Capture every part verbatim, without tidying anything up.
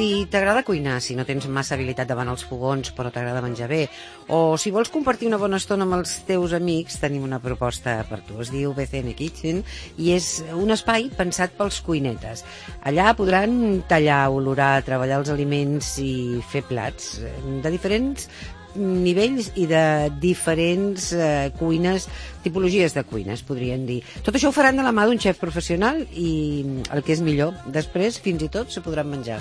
Si t'agrada cuinar, si no tens massa habilitat davant els fogons però t'agrada menjar bé, o si vols compartir una bona estona amb els teus amics, tenim una proposta per tu. Es diu B C N Kitchen i és un espai pensat pels cuinetes. Allà podran tallar, olorar, treballar els aliments i fer plats de diferents nivells i de diferents eh, cuines, tipologies de cuines, podríem dir. Tot això ho faran de la mà d'un xef professional i el que és millor, després fins i tot se podran menjar.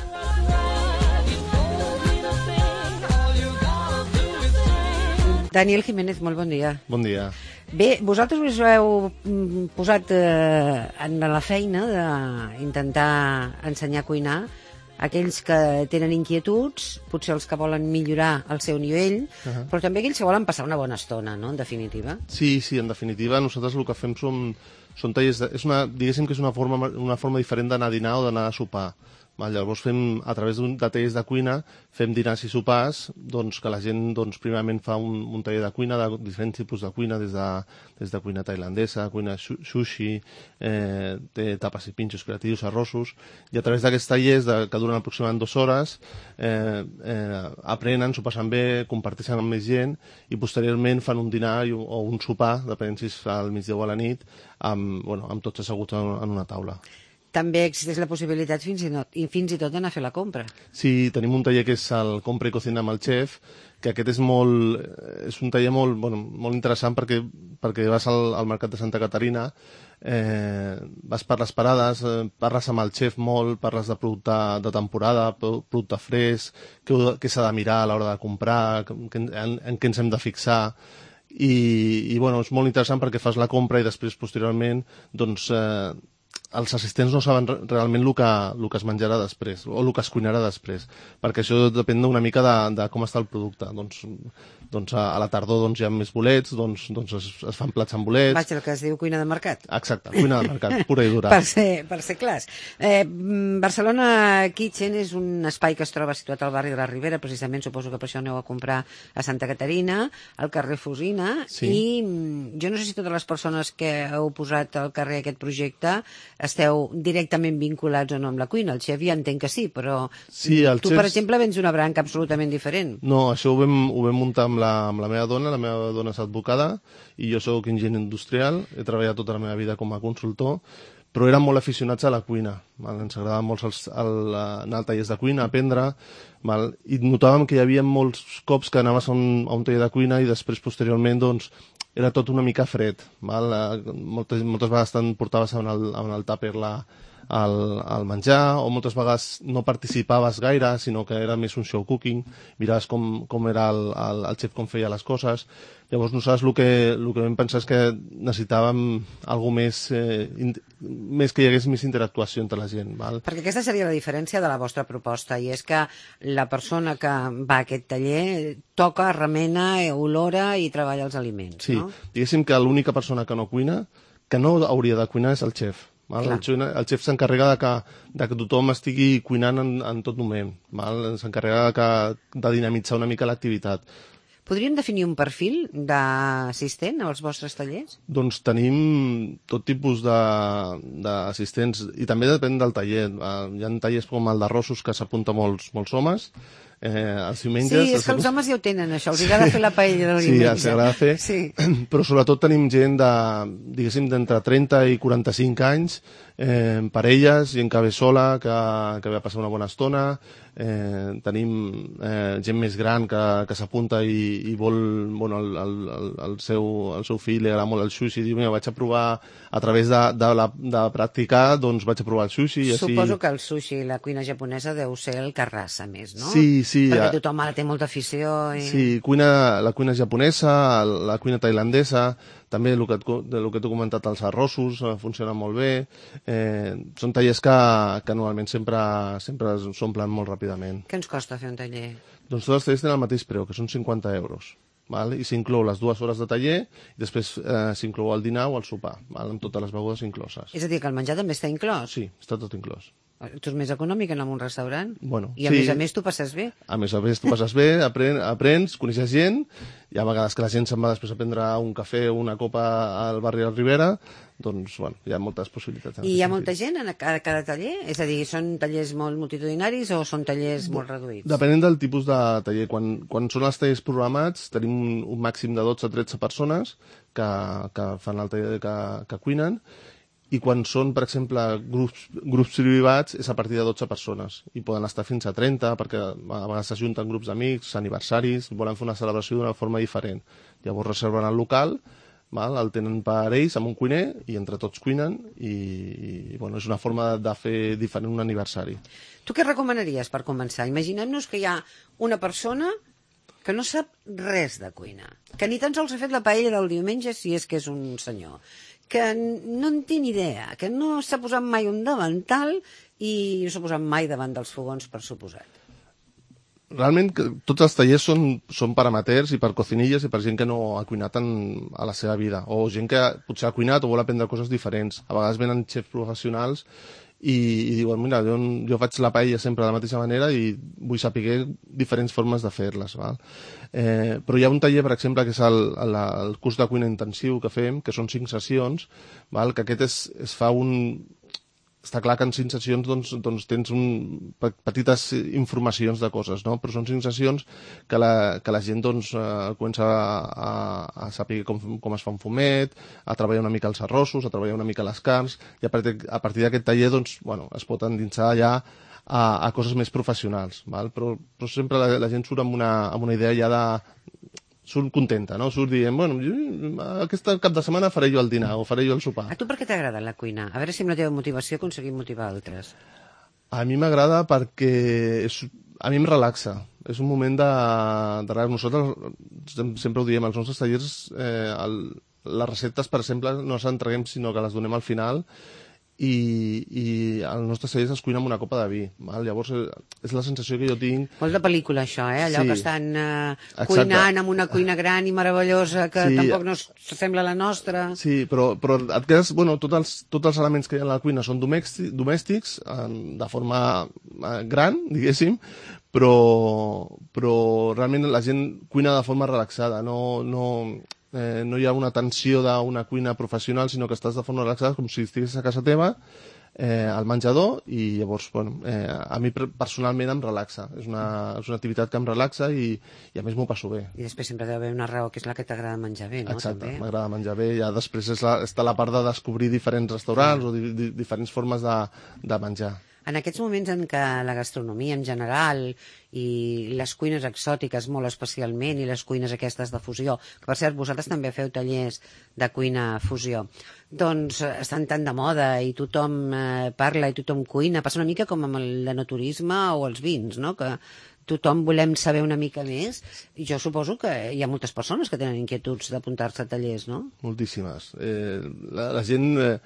Daniel Jiménez, molt bon dia. Bon dia. Bé, vosaltres us heu posat eh, en la feina d'intentar ensenyar a cuinar aquells que tenen inquietuds, potser els que volen millorar el seu nivell, uh-huh. però també aquells que volen passar una bona estona, no?, en definitiva. Sí, sí, en definitiva, nosaltres el que fem són, són tallers, de, és una, diguéssim que és una forma, una forma diferent d'anar a dinar o d'anar a sopar. Val, llavors fem, a través de tallers de cuina, fem dinars i sopars, doncs que la gent doncs, primerament fa un, un taller de cuina, de diferents tipus de cuina, des de, des de cuina tailandesa, cuina sushi, eh, té tapes i pinxos creatius, arrossos, i a través d'aquests tallers, de, que duren aproximadament dues hores, eh, eh, aprenen, s'ho passen bé, comparteixen amb més gent, i posteriorment fan un dinar i, o un sopar, depenent si es fa al migdia o a la nit, amb, bueno, amb tots asseguts en, en una taula. També existeix la possibilitat fins i, no, i fins i tot d'anar a fer la compra. Sí, tenim un taller que és el Compra i Cocina amb el xef, que aquest és molt, és un taller molt, bueno, molt interessant perquè, perquè vas al, al mercat de Santa Caterina, eh, vas per les parades, eh, parles amb el xef molt, parles de producte de temporada, producte fresc, què, què s'ha de mirar a l'hora de comprar, que, en, en què ens hem de fixar, i, i bueno, és molt interessant perquè fas la compra i després, posteriorment, doncs, eh, els assistents no saben realment el que, el que es menjarà després, o el que es cuinarà després, perquè això depèn una mica de, de com està el producte. Doncs, doncs a, a la tardor doncs, hi ha més bolets, doncs, doncs es, es fan plats amb bolets. Vaig, el que es diu cuina de mercat. Exacte, cuina de mercat, pura i dura. per, ser, per ser clars. Eh, Barcelona Kitchen és un espai que es troba situat al barri de la Ribera, precisament suposo que per això aneu a comprar a Santa Caterina, al carrer Fusina, sí. I jo no sé si totes les persones que heu posat al carrer aquest projecte esteu directament vinculats o no amb la cuina. El xef ja entenc que sí, però sí, tu, xefs... per exemple, vens d'una branca absolutament diferent. No, això ho vam, ho vam muntar amb la, amb la meva dona, la meva dona és advocada, i jo sóc enginyer industrial, he treballat tota la meva vida com a consultor, però érem molt aficionats a la cuina. Val? Ens agradava molt els, el, anar als tallers de cuina, aprendre, val? I notàvem que hi havia molts cops que anaves a un, a un taller de cuina i després, posteriorment, doncs, era tot una mica fred. Val? Moltes, moltes vegades te'n portaves en el, en el tàper la, el, el menjar, o moltes vegades no participaves gaire, sinó que era més un show cooking, miraves com, com era el, el, el xef, com feia les coses. Llavors nosaltres el que, el que vam pensar és que necessitàvem alguna més, eh, in, més que hi hagués més interactuació entre la gent. Val? Perquè aquesta seria la diferència de la vostra proposta, i és que la persona que va a aquest taller toca, remena, olora i treballa els aliments. Sí, no? Diguéssim que l'única persona que no cuina, que no hauria de cuinar, és el xef. Val? El xef, el xef s'encarrega de que, de que tothom estigui cuinant en, en tot moment. S'encarrega de, que, de dinamitzar una mica l'activitat. Podríem definir un perfil d'assistent als vostres tallers? Doncs tenim tot tipus d'assistents, i també depèn del taller. Hi ha tallers com el d'arrossos que s'apunta molts, molts homes, eh, els diumenges... Sí, és que els homes ja ho tenen, això, els agrada fer la paella del diumenge. Sí, els agrada fer, sí. Però sobretot tenim gent de, diguéssim, d'entre trenta i quaranta-cinc anys, eh, parelles, gent que ve sola, que, que ve a passar una bona estona, eh, tenim eh, gent més gran que, que s'apunta i, i vol, bueno, el, el, el, seu, el seu fill li agrada molt el sushi, i diu, mira, vaig a provar, a través de, de, la, de practicar, doncs vaig a provar el sushi. I Suposo així... que el sushi i la cuina japonesa deu ser el que arrasa més, no? Sí, sí. Perquè tothom ara té molta afició. I... Sí, cuina, la cuina japonesa, la cuina tailandesa, també el que, el que t'he comentat, els arrossos, eh, funcionen molt bé. Eh, són tallers que, que normalment sempre, sempre s'omplen molt ràpidament. Què ens costa fer un taller? Doncs tots els tallers tenen el mateix preu, que són cinquanta euros. Val? I s'inclou les dues hores de taller, i després eh, s'inclou el dinar o el sopar, val? Amb totes les begudes incloses. És a dir, que el menjar també està inclòs? Sí, està tot inclòs. Tu és més econòmic que anar a un restaurant? Bueno, I a sí. més a més tu passes bé? A més a més tu passes bé, apren, aprens, coneixes gent, hi ha vegades que la gent se'n va després a prendre un cafè o una copa al barri de Ribera, doncs, bueno, hi ha moltes possibilitats. I hi ha molta gent a cada, cada taller? És a dir, són tallers molt multitudinaris o són tallers molt reduïts? Depenent del tipus de taller. Quan, quan són els tallers programats tenim un, un màxim de dotze a tretze persones que, que fan el taller que, que cuinen, i quan són, per exemple, grups, grups privats és a partir de dotze persones i poden estar fins a trenta perquè a vegades s'ajunten grups d'amics, aniversaris, volen fer una celebració d'una forma diferent. Llavors reserven el local, val? El tenen per ells amb un cuiner i entre tots cuinen i, i bueno, és una forma de fer diferent un aniversari. Tu què recomanaries per començar? Imaginem-nos que hi ha una persona que no sap res de cuina, que ni tan sols ha fet la paella del diumenge si és que és un senyor, que no en té ni idea, que no s'ha posat mai un davantal i no s'ha posat mai davant dels fogons, per suposat. Realment tots els tallers són, són per amateurs i per cocinilles i per gent que no ha cuinat en, a la seva vida, o gent que potser ha cuinat o vol aprendre coses diferents. A vegades venen xefs professionals i, i diuen, mira, jo, jo faig la paella sempre de la mateixa manera i vull saber diferents formes de fer-les. Val? Eh, però hi ha un taller, per exemple, que és el, el, el curs de cuina intensiu que fem, que són cinc sessions, val? Que aquest es, es fa un... Està clar que en cinc sessions doncs, doncs tens un, petites informacions de coses, no? Però són cinc sessions que la, que la gent doncs, eh, comença a, a, a saber com, com es fa un fumet, a treballar una mica els arrossos, a treballar una mica les carns, i a partir, a partir d'aquest taller doncs, bueno, es pot endinsar ja a, a coses més professionals. Val? Però, però sempre la, la gent surt amb una, amb una idea ja de... surt contenta, no? Surt dient, bueno, jo, aquest cap de setmana faré jo el dinar o faré jo el sopar. A tu per què t'agrada la cuina? A veure si amb la teva motivació aconseguim motivar altres. A mi m'agrada perquè és, a mi em relaxa. És un moment de, de relax. Nosaltres sempre ho diem, als nostres tallers eh, el, les receptes, per exemple, no les entreguem sinó que les donem al final i, i als nostres tallers es cuina amb una copa de vi. Val? Llavors és la sensació que jo tinc... Molt de pel·lícula això, eh? Allò sí. que estan eh, cuinant amb una cuina gran i meravellosa que sí. Tampoc no s'assembla a la nostra. Sí, però, però et quedes... Bueno, tots els, tots els elements que hi ha a la cuina són domèstics, domèstics eh, de forma eh, gran, diguéssim, però, però realment la gent cuina de forma relaxada, no... no Eh, no hi ha una tensió d'una cuina professional, sinó que estàs de forma relaxada com si estiguessis a casa teva, eh, al menjador, i llavors, bueno, eh, a mi personalment em relaxa. És una, és una activitat que em relaxa i, i a més m'ho passo bé. I després sempre deu haver una raó que és la que t'agrada menjar bé, no? Exacte, m'agrada menjar bé. Ja després és la, està la part de descobrir diferents restaurants o di, di, diferents formes de, de menjar. En aquests moments en què la gastronomia en general i les cuines exòtiques molt especialment i les cuines aquestes de fusió, que per cert vosaltres també feu tallers de cuina fusió, doncs estan tan de moda i tothom eh, parla i tothom cuina, passa una mica com amb el enoturisme o els vins, no? Que tothom volem saber una mica més i jo suposo que hi ha moltes persones que tenen inquietuds d'apuntar-se a tallers, no? Moltíssimes. Eh, la, la gent... Eh...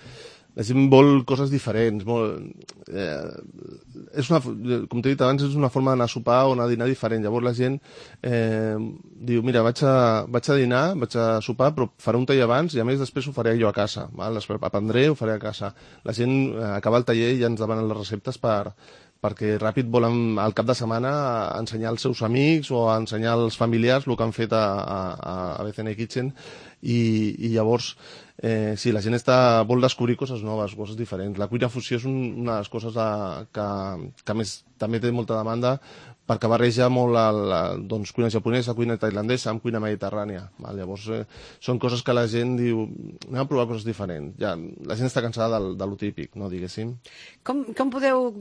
La gent vol coses diferents. Molt, eh, és una, com t'he dit abans, és una forma d'anar a sopar o anar a dinar diferent. Llavors la gent eh, diu, mira, vaig a, vaig a dinar, vaig a sopar, però faré un taller abans i a més després ho faré jo a casa. Val? Aprendré, ho faré a casa. La gent eh, acaba el taller i ja ens demanen les receptes per, perquè ràpid volen al cap de setmana ensenyar als seus amics o ensenyar als familiars el que han fet a, a, a B C N Kitchen i, i llavors eh, sí, la gent està, vol descobrir coses noves, coses diferents. La cuina fusió és un, una de les coses de, que, que més també té molta demanda perquè barreja molt la, la, doncs, cuina japonesa, cuina tailandesa amb cuina mediterrània. Val? Llavors eh, són coses que la gent diu, anem a provar coses diferents. Ja, la gent està cansada del, de lo típic, no, diguéssim. Com, com podeu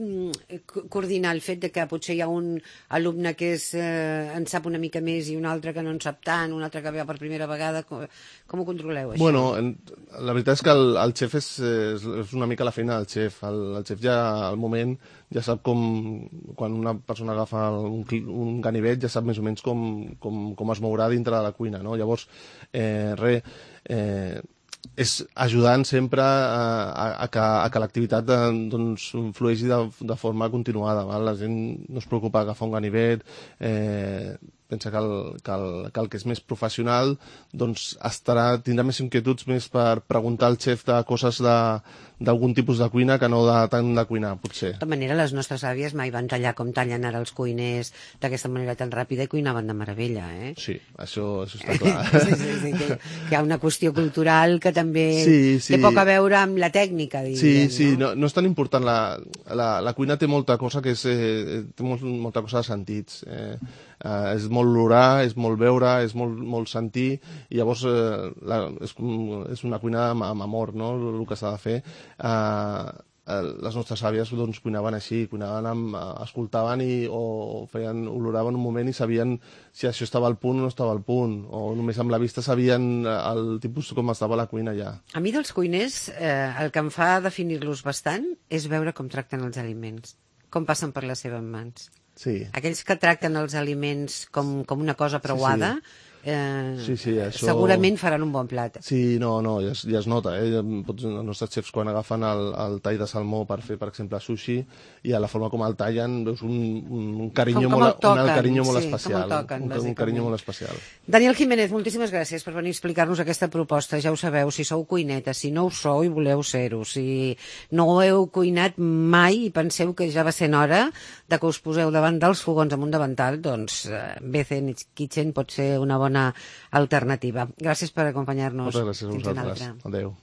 coordinar el fet de que potser hi ha un alumne que és, eh, en sap una mica més i un altre que no en sap tant, un altre que ve per primera vegada? Com, com ho controleu, això? Bueno, en, la veritat és que el, el xef és, és, és una mica la feina del xef. El, el xef ja al moment ja sap com, quan una persona agafa un, un ganivet, ja sap més o menys com, com, com es mourà dintre de la cuina, no? Llavors, eh, res, eh, és ajudant sempre a, a, a que, a que l'activitat doncs, flueixi de, de forma continuada. Val? La gent no es preocupa d'agafar un ganivet, eh, pensa que el, que, el, que el que és més professional doncs estarà, tindrà més inquietuds més per preguntar al xef de coses de, d'algun tipus de cuina que no de tant de cuinar, potser. De tota manera, les nostres àvies mai van tallar com tallen ara els cuiners d'aquesta manera tan ràpida i cuinaven de meravella, eh? Sí, això, això està clar. sí, sí, sí, que, que hi ha una qüestió cultural que també sí, sí. té poc a veure amb la tècnica, diríem, sí, sí, no? no, no és tan important. La, la, la cuina té molta cosa que és, eh, té molt, molta cosa de sentits. Eh, eh, és molt olorar, és molt veure, és molt, molt sentir, i llavors eh, la, és, és una cuina amb, amb amor, no?, el que s'ha de fer. Eh, les nostres àvies doncs, cuinaven així, cuinaven amb, escoltaven i, o feien, oloraven un moment i sabien si això estava al punt o no estava al punt, o només amb la vista sabien el tipus com estava la cuina ja. A mi dels cuiners eh, el que em fa definir-los bastant és veure com tracten els aliments, com passen per les seves mans. Sí. Aquells que tracten els aliments com, com una cosa preuada, sí, sí. Eh, sí, sí, això... segurament faran un bon plat. Sí, no, no, ja es, ja es nota. Eh? Pots, els nostres xefs, quan agafen el, el tall de salmó per fer, per exemple, sushi, i a la forma com el tallen, veus un, un carinyo, com, com molt, toquen, un carinyo sí, molt especial. Toquen, un, un carinyo molt especial. Daniel Jiménez, moltíssimes gràcies per venir a explicar-nos aquesta proposta. Ja ho sabeu, si sou cuinetes, si no ho sou i voleu ser-ho, si no heu cuinat mai i penseu que ja va sent hora de que us poseu davant dels fogons amb un davantal, doncs B C N Kitchen pot ser una bona alternativa. Gràcies per acompanyar-nos. Moltes gràcies a vosaltres. Adéu.